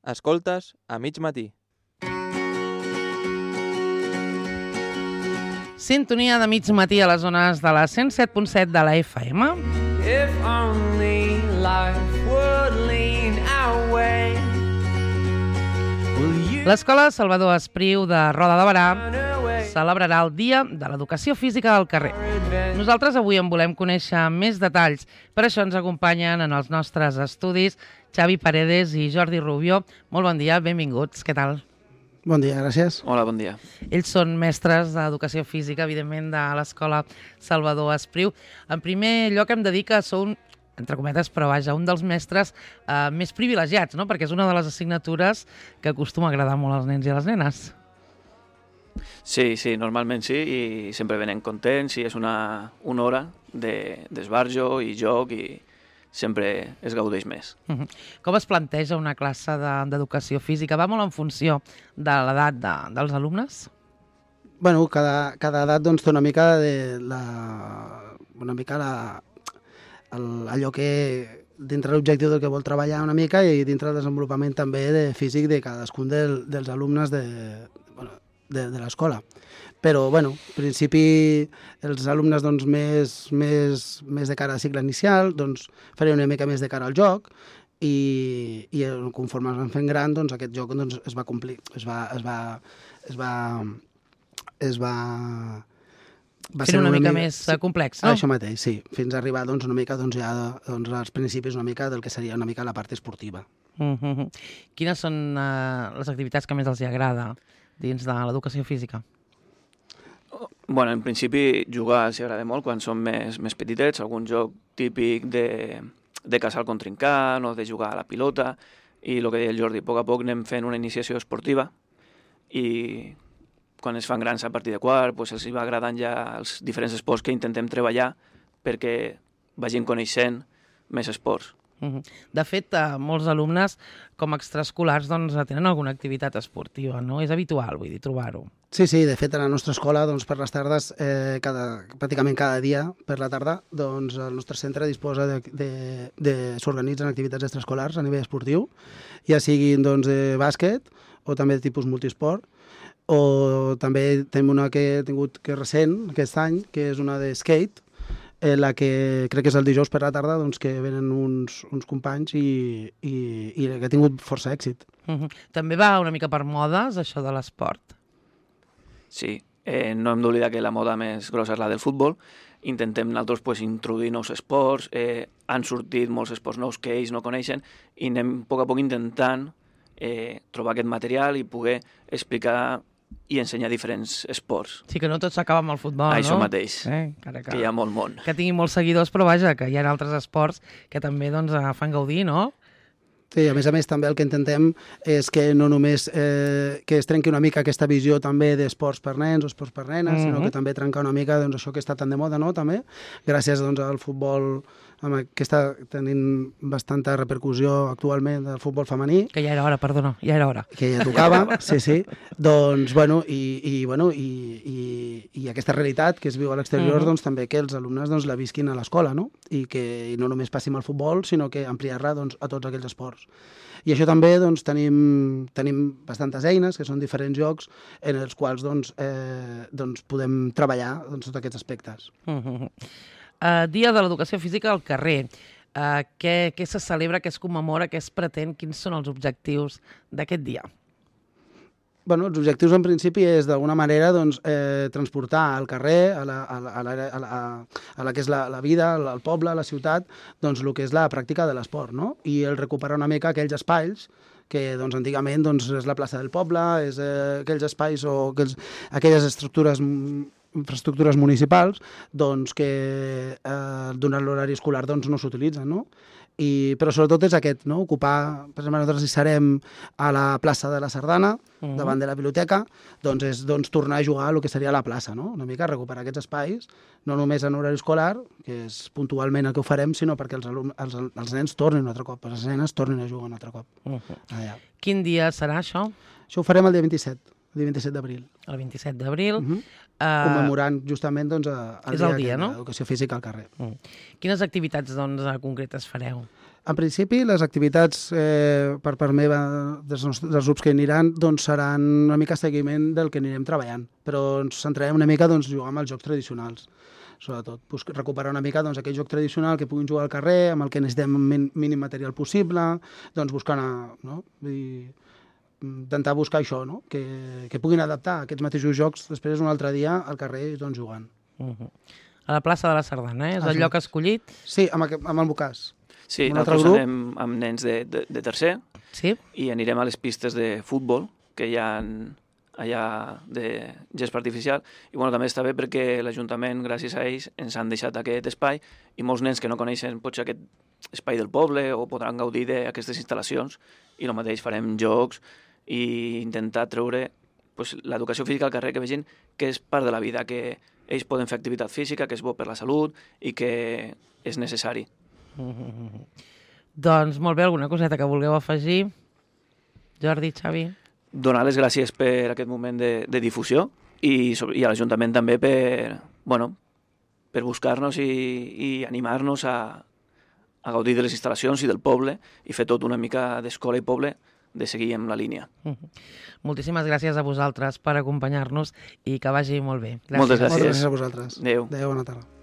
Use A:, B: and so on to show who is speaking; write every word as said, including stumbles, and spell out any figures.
A: Escoltes a mig matí.
B: Sintonia de mig matí a les zones de la cent set punt set de la F M.
C: If only life would lean our way.
B: L'Escola Salvador Espriu de Roda de Barà celebrarà el Dia de l'Educació Física al carrer. Nosaltres avui en volem conèixer més detalls. Per això ens acompanyen en els nostres estudis Xavi Paredes i Jordi Rubio. Molt bon dia, benvinguts. Què tal?
D: Bon dia, gràcies.
E: Hola, bon dia.
B: Ells són mestres d'Educació Física, evidentment, de l'Escola Salvador Espriu. En primer lloc hem de dir que sou, entre cometes, però vaja, un dels mestres eh, més privilegiats, no? Perquè és una de les assignatures que acostuma a agradar molt als nens i a les nenes.
E: Sí, sí, normalment sí, i sempre venen contents i és una, una hora d'esbarjo i joc i sempre es gaudeix més.
B: Uh-huh. Com es planteja una classe d'educació física? Va molt en funció de l'edat de, dels alumnes?
D: Bueno, cada, cada edat doncs, té una mica de la, una mica la, el, allò que dintre l'objectiu del que vol treballar una mica i dintre el desenvolupament també de físic de cadascun del, dels alumnes de, bueno, de, de l'escola. Però, bueno, en principi, els alumnes doncs, més, més, més de cara al cicle inicial doncs, farien una mica més de cara al joc i, i conforme es van fent gran, doncs, aquest joc doncs, es va complir, es va... Es va, es va, es va va
B: ser una, una mica, mica més sí, complex, no?
D: Això mateix, sí. Fins a arribar doncs, una mica doncs, ja doncs, als principis una mica del que seria una mica la part esportiva.
B: Uh-huh. Quines són uh, les activitats que més els agrada dins de l'educació física?
E: Bueno, en principi jugar els agrada molt quan són més, més petitets, algun joc típic de, de caçar el contrincant o de jugar a la pilota, i el que deia el Jordi, a poc a poc anem fent una iniciació esportiva i quan es fan grans a partir de quart pues els va agradant ja els diferents esports que intentem treballar perquè vagin coneixent més esports.
B: De fet, molts alumnes com a extraescolars doncs, tenen alguna activitat esportiva, no? És habitual, vull dir, trobar-ho.
D: Sí, sí, de fet, a la nostra escola, doncs, per les tardes, eh, cada, pràcticament cada dia, per la tarda, doncs, el nostre centre disposa de, de, de s'organitzen activitats extraescolars a nivell esportiu, ja siguin doncs, de bàsquet o també de tipus multisport, o també tenim una que he tingut que és recent, aquest any, que és una de skate, en la que crec que és el dijous per la tarda, doncs, que venen uns, uns companys i, i, i que ha tingut força èxit.
B: Uh-huh. També va una mica per modes, això de l'esport?
E: Sí, eh, no hem d'oblidar que la moda més grossa és la del futbol. Intentem nosaltres pues, introduir nous esports, eh, han sortit molts esports nous que ells no coneixen i anem a poc a poc intentant eh, trobar aquest material i poder explicar i ensenyar diferents esports.
B: Sí, que no tot s'acaba amb el futbol,
E: Això
B: no?
E: Això mateix,
B: eh, que,
E: que hi ha molt món.
B: Que tingui molts seguidors, però vaja, que hi ha altres esports que també doncs, fan gaudir, no?
D: Sí, a més a més també el que intentem és que no només eh, que es trenqui una mica aquesta visió també d'esports per nens o esports per nenes, uh-huh. sinó que també trencar una mica doncs, això que està tan de moda, no?, també, gràcies doncs, al futbol que està tenint bastanta repercussió actualment del futbol femení.
B: Que ja era hora, perdona, ja era hora.
D: Que ja tocava, sí, sí. Doncs, bueno, i, i, bueno, i, i, i aquesta realitat que es viu a l'exterior, uh-huh. doncs també que els alumnes doncs, la visquin a l'escola, no? I que i no només passi amb el futbol, sinó que ampliar-la doncs, a tots aquells esports. I això també doncs, tenim, tenim bastantes eines, que són diferents jocs, en els quals doncs, eh, doncs, podem treballar doncs, tots aquests aspectes.
B: Uh-huh. Uh, Dia de l'Educació Física al carrer. Uh, què, què se celebra, què es commemora, què es pretén, quins són els objectius d'aquest dia?
D: Bueno, els objectius en principi és d'alguna manera doncs, eh, transportar al carrer, a la, a la, a la, a la, a la que és la, la vida, al poble, a la ciutat, doncs el que és la pràctica de l'esport, no? I el recuperar una mica aquells espais que doncs, antigament doncs, és la plaça del poble, és eh, aquells espais o aquells, aquelles estructures infraestructures municipals doncs, que eh, durant l'horari escolar doncs, no s'utilitzen, no? I, però sobretot és aquest, no? Ocupar, per exemple, nosaltres hi serem a la plaça de la Sardana, uh-huh. davant de la biblioteca, doncs és doncs, tornar a jugar a el que seria la plaça, no? Una mica recuperar aquests espais, no només en horari escolar, que és puntualment el que ho farem, sinó perquè els, alumnes, els, els nens tornin un altre cop, les nenes tornin a jugar un altre cop. Uh-huh. Allà.
B: Quin dia serà això?
D: Això ho farem el dia vint-i-set. El dia vint-i-set d'abril.
B: El vint-i-set d'abril.
D: Uh-huh. Uh... Commemorant justament doncs, el
B: és
D: dia,
B: el dia no?
D: d'educació física al carrer.
B: Uh. Quines activitats doncs, concretes fareu?
D: En principi, les activitats eh, per part meva dels, nostres, dels grups que hi aniran doncs, seran una mica seguiment del que anirem treballant, però ens centrarem una mica doncs, jugar amb els jocs tradicionals, sobretot. Busc, recuperar una mica doncs, aquell joc tradicional que puguin jugar al carrer, amb el que necessitem el mínim material possible, doncs buscant, no? I intentar buscar això, no? que, que puguin adaptar aquests mateixos jocs després un altre dia al carrer doncs, jugant.
B: Uh -huh. A la plaça de la Sardana, eh? És el lloc escollit?
D: Sí, amb, aquest, amb el Bocàs.
E: Sí,
D: un
E: nosaltres
D: grup.
E: anem amb nens de, de, de tercer
B: Sí.
E: i anirem a les pistes de futbol que hi ha allà de gespa artificial. I bueno, també està bé perquè l'Ajuntament, gràcies a ells, ens han deixat aquest espai i molts nens que no coneixen potser aquest espai del poble o podran gaudir d'aquestes instal·lacions i el mateix farem jocs i intentar treure pues, l'educació física al carrer, que vegin que és part de la vida, que ells poden fer activitat física, que és bo per la salut i que és necessari.
B: Mm-hmm. Doncs molt bé, alguna coseta que vulgueu afegir? Jordi, Xavi?
E: Donar les gràcies per aquest moment de, de difusió i, i a l'Ajuntament també per, bueno, per buscar-nos i, i animar-nos a, a gaudir de les instal·lacions i del poble i fer tot una mica d'escola i poble de seguir amb la línia.
B: Mm-hmm. Moltíssimes gràcies a vosaltres per acompanyar-nos i que vagi molt bé.
E: Gràcies. Moltes gràcies.
D: Moltes gràcies a vosaltres.
E: Adéu.
D: Adéu, bona tarda.